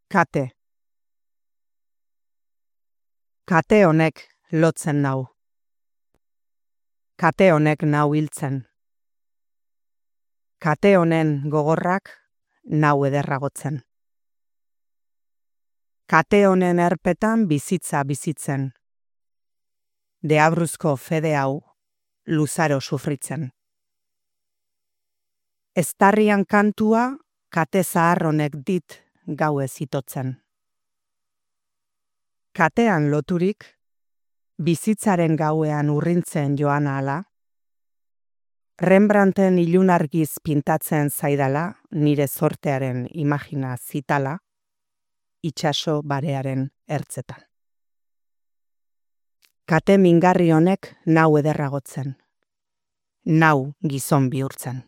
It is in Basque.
Kate. Kate honek lotzen nau. Kate honek nau hiltzen. Kate honen gogorrak nau ederragotzen. Kate honen erpetan bizitza bizitzen. Deabruzko fede hau luzaro sufritzen. Eztarrian kantua kate zahar honek dit gauez itotzen. Katean loturik, bizitzaren gauean urrintzen joan ahala, Rembrandten ilunargiz pintatzen zaidala nire zortearen imagina zitala, itsaso barearen ertzetan. Kate mingarri honek nau ederragotzen, nau gizon bihurtzen.